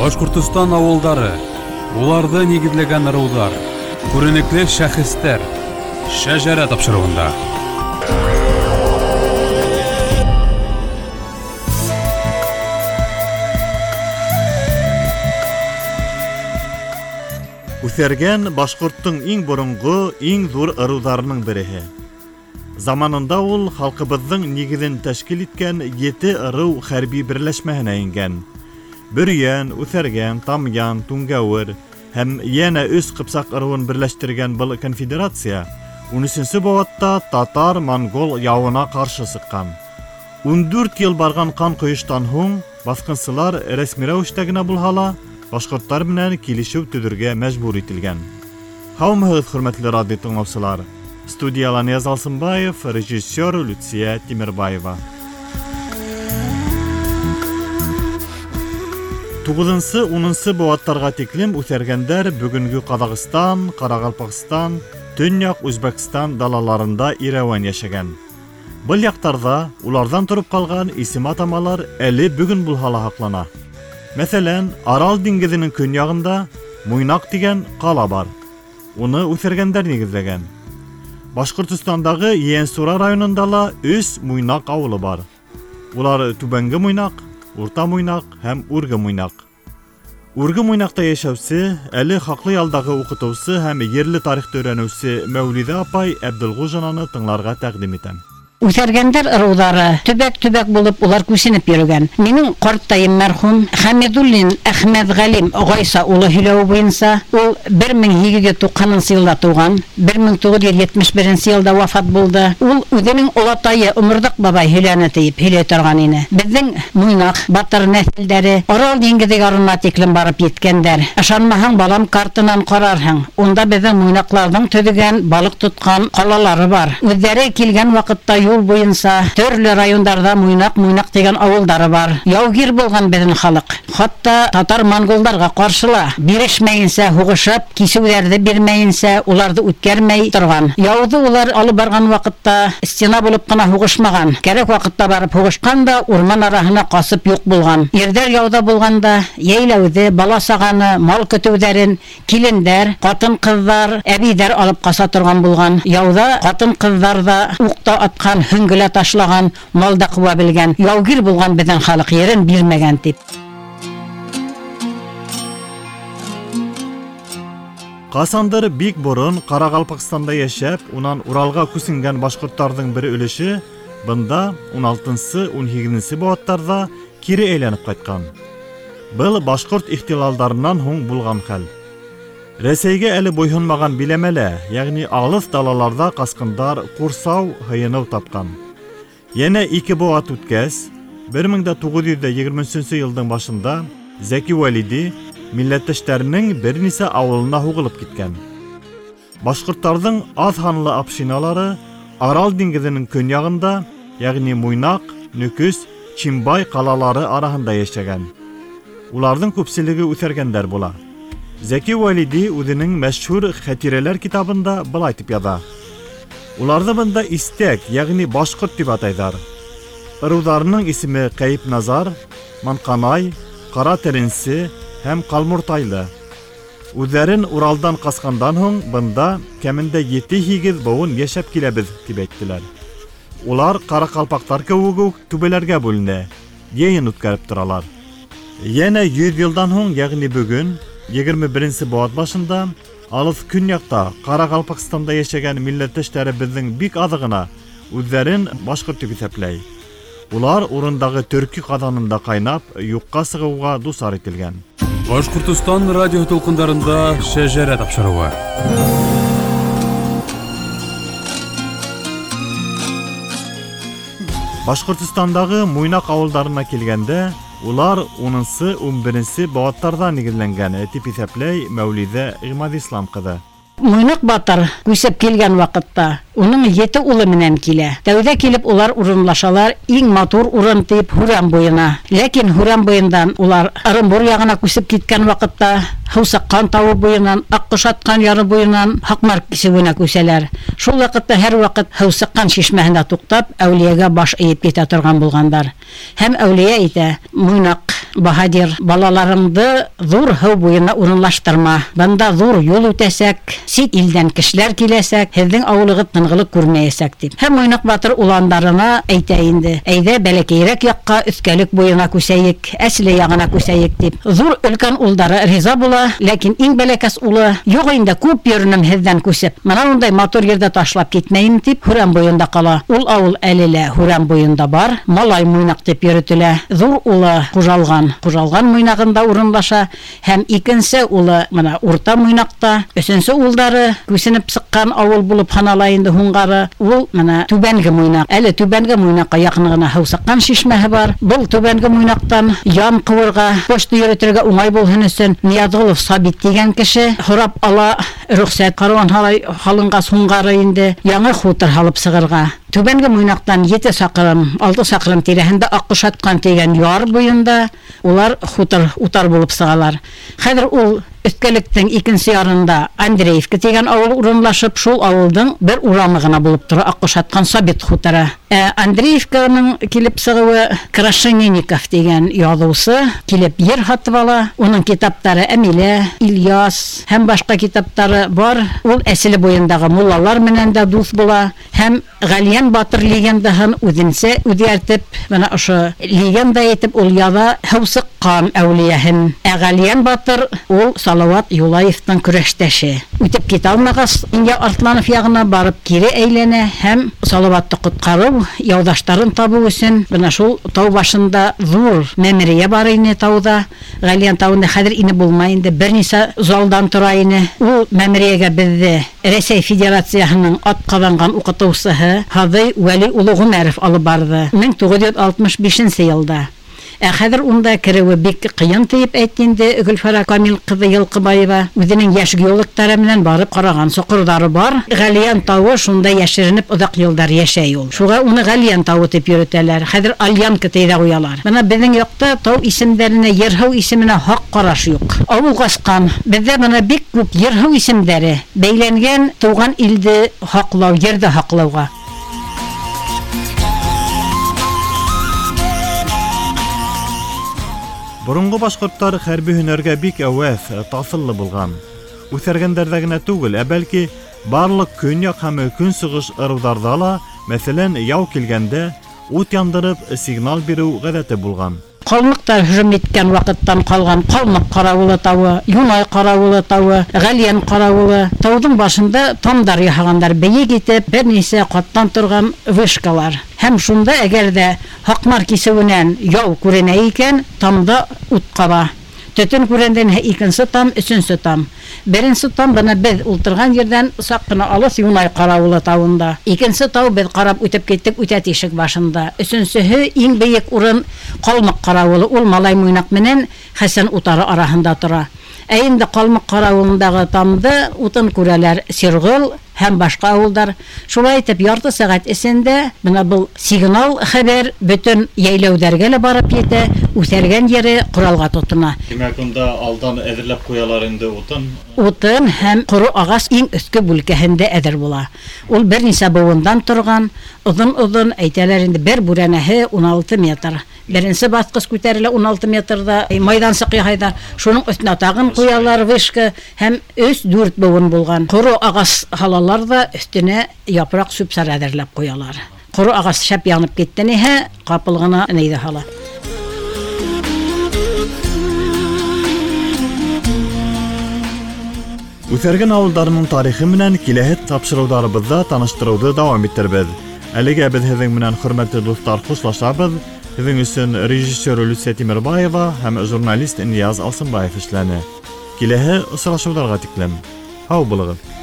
Башҡортостан ауылдары, уларҙы нигеҙләгән ырыуҙар, күренекле шәхестәр Шәжәрә тапшырыуында. Үҫәргән башҡорттоң иң боронғо, иң ҙур ырыуҙарының береһе. Заманында ул халҡыбыҙҙың нигеҙен тәшкил иткән 7 ырыу хәрби берләшмәһенә ингән. Бөрйән, Үҫәргән, Тамъян, Түңгәүер һәм йәнә 3 ҡыпсаҡ ырыуын берләштергән был конфедерация 13-нсе быуатта татар-монгол яуына ҡаршы сыҡҡан. 14 йыл барған ҡан ҡойоштан һуң баҫҡынсылар рәсми рәүештә генә булһа ла башҡорттар менән килешеү төҙөргә мәжбүр ителгән. Һаумыһығыҙ, хөрмәтле радио тыңлаусылар! Студияла Нияз Алсынбаев, режиссер Люция Тимербаева. 9-10 быуаттарға тиклем үҫәргәндәр бөгөнгө Ҡаҙағстан, Ҡарағалпағстан, Төньяҡ Үзбәкстан далаларында ирәүән йәшәгән. Был яҡтарҙа уларҙан тороп ҡалған исем-атамалар әле бөгөн булһа ла һаҡлана. Мәҫәлән, Арал диңгеҙенең көньяғында Муйнаҡ тигән ҡала бар. Уны үҫәргәндәр нигеҙләгән. Башҡортостандағы Ейәнсура районында ла 3 Муйнаҡ ауылы бар. Улар Түбәнге Муйнаҡ, Урта Муйнаҡ һәм Үрге Муйнаҡ. Үрге Муйнаҡта йәшәүсе, әле хаҡлы ялдағы уҡытыусы һәм ерле тарихты өйрәнеүсе Мәүлиҙә апай Әбделғужинаны тыңларға тәҡдим итәм. Үҫәргәндәр ырыуҙары төбәк-төбәк булып улар күсенеп йөрөгән. Минең ҡартайым мәрхүм Хәмидуллин Әхмәтғәлим Ғайса улы һөйләүе буйынса, ул 1890 йылда тыуған, 1971 йылда вафат булды. Ул үҙенең олатайы Оморҙаҡ бабай һөйләне тиеп һөйләй торған ине. Беҙҙең Муйнаҡ батыр нәҫелдәре Арал диңгеҙе ярына тиклем барып еткәндәр. Ышанмаһаң, балам, картынан ҡарарһың. Унда беҙҙең муйнаҡларҙың төҙөгән, балыҡ тотҡан ҡалалары бар. Үҙҙәре килгән ваҡытта юл буйынса төрлө райондарҙа Муйнаҡ тигән ауылдары бар. Яугир булған беҙҙең халыҡ. Хатта татар-монголдарға ҡаршы ла бирешмәйенсә һуғышып, кисеүҙәрҙе бирмәйенсә уларҙы үткәрмәй торған. Яуҙы улар алып барған ваҡытта стена булып ҡына һуғышмаған. Кәрәк ваҡытта барып һуғышҡан да урман араһына ҡасып юҡ булған. Ирҙәр яуҙа булғанда йәйләүҙе, бала-сағаны, мал көтөүҙәрен килендәр, ҡатын-ҡыҙҙар, әбейҙәр алып ҡаса торған булған. Яуҙа ҡатын-ҡыҙҙар ҙа уҡта атҡан, һөңгөлә ташлаған, мал да ҡыуа белгән. Яугир булған беҙҙең халыҡ, ерен бирмәгән тип. Ҡасандыр бик борон Ҡарағалпағстанда йәшәп, унан Уралға күсенгән башҡорттарҙың бер өлөшө бында 16-18 быуаттарҙа кире әйләнеп ҡайтҡан. Был башҡорт ихтилалдарынан һуң булған хәл. Рәсәйгә әле буйһонмаған биләмәлә, йәғни алыҫ далаларҙа ҡасҡындар ҡурсау, һыйыныу тапҡан. Йәнә 2 быуат үткәс, 1923 йылдың башында Зәки Вәлиди милләттәштәренең бер нисә ауылына һуғылып киткән. Башҡорттарҙың аҙ һанлы общиналары Арал диңгеҙенең көньяғында, йәғни Муйнаҡ, Нөкөс, Чимбай ҡалалары араһында йәшәгән. Уларҙың күпселеге үҫәргәндәр була. Зәки Вәлиди үҙенең мәшһүр Хәтирәләр китабында былай тип яҙа. Уларҙы бында истәк, йәғни башҡорт тип атайҙар. Ырыуҙарының исеме Ҡәйепназар, Манҡанай, Ҡара Теренсе һәм Ҡалмуртайлы. Үҙҙәрен Уралдан ҡасҡандан һуң бында кәмендә 7-8 быуын йәшәп киләбеҙ тип әйттеләр. Улар ҡарақалпаҡтар кеүек үк түбәләргә бүленә, йыйын үткәреп торалар. Йәнә 100 йылдан һуң, йәғни бөгөн 21-нсе быуат башында алыҫ көньяҡта Ҡарағалпағстанда йәшәгән милләттәштәребеҙҙең бик аҙы ғына үҙҙәрен башҡорт тип иҫәпләй. Улар урындағы төрки ҡаҙанында ҡайнап, юҡҡа сығыуға дусар ителгән. Башҡортостан радио тулҡындарында Шәжәрә тапшырыуы. Башҡортостандағы Муйнаҡ ауылдарына килгәндә, улар 10-11 быуаттарҙа нигеҙләнгән, тип иҫәпләй Мәүлиҙә Ғимадислам ҡыҙы. Муйнаҡ батыр күсеп килгән ваҡытта уның 7 улы менән килә. Тәүҙә килеп улар урынлашалар иң матур урын тип Һүрән буйына. Ләкин Һүрән буйындан улар Ырымбур яғына күсеп киткән ваҡытта Һыусаҡҡан тауы буйынан, Аҡҡошатҡан яры буйынан Һаҡмар кисеүенә күсәләр. Шул ваҡытта һәр ваҡыт Һыусаҡҡан шишмәһенә туҡтап, әүлиәгә баш эйеп китә торған булғандар. Һәм әүлиә әйтә: Муйнаҡ баһадир, балаларыңды ҙур һыу буйына урынлаштырма. Бында ҙур юл үтәсәк, сит илдән кешеләр киләсәк, һеҙҙең ауылығыҙ тынғылыҡ күрмәйәсәк тип. Һәм Муйнаҡ батыр уландарына әйтә инде: "Әйҙә бәләкәйерәк яҡҡа, Өҫкәлек буйына күсәйек, Әсле яғына күсәйек" тип. Ҙур өлкән улдары риза була, ләкин иң бәләкәс улы: "Юҡ инде, күп йөрөнөм һеҙҙән күсеп. Мына ундай матур ерҙә ташлап китмәйем" тип Һүрән буйында ҡала. Ул ауыл әле лә Һүрән буйында бар, Малай Муйнаҡ тип йөрөтөлә. Ҙур улы Ҡужалған Муйнағында урынлаша, һәм икенсе улы мына Урта Муйнаҡта, өсөнсө улдары күсенеп сыҡҡан ауыл булып һанала инде һуңғары. Ул мына Түбәнге Муйнаҡ. Әле Түбәнге Муйнаҡҡа яҡын ғына һыу сыҡҡан шишмәһе бар. Был Түбәнге Муйнаҡтан ян ҡыуырға, почта йөрөтөргә уңай булһын өсөн Ниязғолов Сабит тигән кеше һорап ала рөхсәт. Каруан һалынғас һуңғары инде яңы хутор һалып сығырға. Түбәнге Муйнаҡтан 7 саҡрым, 6 саҡрым тирәһендә Аҡҡошатҡан тигән яр буйында улар хутор утар булып сығалар. Хәҙер ул Өҫкәлектең икенсе ярында Андреевка тигән ауыл урынлашып, шул ауылдың бер урамы ғына булып тора Аҡҡошатҡан Сабит хуторы. Андреевканың килеп сығыуы Крашенинников тигән яҙыусы килеп ер һатып ала. Уның китаптары Әмилә, Ильяс һәм башҡа китаптары бар. Ул Әселе буйындағы муллалар менән дә дуҫ була һәм Ғәлйән батыр легендаһын үҙенсә үҙгәртеп, бына ошо легенда итеп ул яҙа һыу сыҡҡан әүлиәһен. Ә Ғәлйән батыр ул Салават Юлаевтың көрәштәше. Үтеп китә алмағас, Инйә Артланов яғына барып кире әйләнә һәм Салаватты ҡотҡарыу, яуҙаштарын табыу өсөн бына шул тау башында ҙур мәмерйә бар ине тауҙа. Ғәлйән тауында хәҙер инеп булмай инде, бер нисә залдан тора ине. Ул мәмерйәгә беҙҙе Рәсәй Федерацияһының атҡаҙанған уҡытыусыһы Һаҙый Вәли улы Ғүмәров алып барҙы 1965 йылда. Ә хәҙер унда кереүе бик ҡыйын тиеп әйтте инде Гөлфәрә Камил ҡыҙы Йылҡыбаева. Үҙенең йәш геологтары менән барып ҡараған соҡорҙары бар. Ғәлйән тауы шунда йәшеренеп оҙаҡ йылдар йәшәй ул. Шуға уны Ғәлйән тауы тип йөрөтәләр. Хәҙер Альянка тип тә ҡуялар. Бына беҙҙең яҡта тау исемдәренә, ер-һыу исеменә хаҡ ҡараш юҡ. Ауыл ҡасҡан. Беҙҙә бына бик күп ер-һыу исемдәре бәйләнгән тыуған илде һаҡлау, ерҙе һаҡлауға. Боронғо башҡорттар хәрби һөнәргә бик әүәҫ, таҫыллы булған. Үҫәргәндәрҙә генә түгел, ә бәлки барлыҡ көньяҡ һәм көнсығыш ырыуҙарҙа ла, мәҫәлән, яу килгәндә ут яндырып сигнал биреү ғәҙәте булған. Ҡалмыҡтар һөжүм иткән ваҡыттан ҡалған Ҡалмыҡ ҡарауылы тауы, Юнай ҡарауылы тауы, Ғәлйән ҡарауылы. Тауҙың башында тамдар яһағандар, бейек итеп бер нисә ҡаттан торған вышкалар. Һәм шунда әгәр ҙә Һаҡмар кисеүенән яу күренә икән, тамда ут ҡаба. Төтөн күрәндән икенсе там, өсөнсө там. Беренсе там бына беҙ ултырған ерҙән саҡ ҡына алыҫ Юнай ҡарауылы тауында. Икенсе тау беҙ ҡарап үтеп киттек Үтә тишек башында. Өсөнсөһө иң бейек урын Ҡалмыҡ ҡарауылы, ул Малай Муйнаҡ менән Хәсән утары араһында тора. Ә инде Ҡалмыҡ ҡарауылындағы тамды утын күрәләр Сирғол һәм башҡа ауылдар. Шулай итеп ярты сәғәт эсендә бына был сигнал хәбәр бөтөн йәйләүҙәргә лә барып етә, үҫәргән ере ҡоралға тотона. Тимәк, унда алдан әҙерләп ҡуялар инде утын. Утын һәм ҡоро ағас иң өҫкө бүлкәһендә әҙер була. Ул бер нисә быуындан торған, оҙон-оҙон әйтәләр инде, бер бүрәнәһе 16 метр. Беренсе баҫҡыс күтәрелә 16 метрҙа, майҙансыҡ яһайҙар. Шуның өҫтөнә тағын ҡуялар вышка һәм 3-4 быуын булған. Ҡоро ағас һалалар ҙа өҫтөнә япраҡ сүп-сар әҙерләп ҡуялар. Ҡоро ағас шәп янып китте ниһә, ҡапыл ғына нейҙе һала. Үҫәргән ауылдарының тарихы менән киләһе тапшырыуҙарыбыҙҙа таныштырыуҙы дауам итербеҙ. Әлегә беҙ һеҙҙең менән, хөрмәтле дуҫтар, хушлашабыҙ. Һеҙҙең өсөн режиссер Люция Тимербаева һәм журналист Нияз Алсынбаев эшләне. Киләһе осрашыуҙарға тиклем. Һау булығыҙ.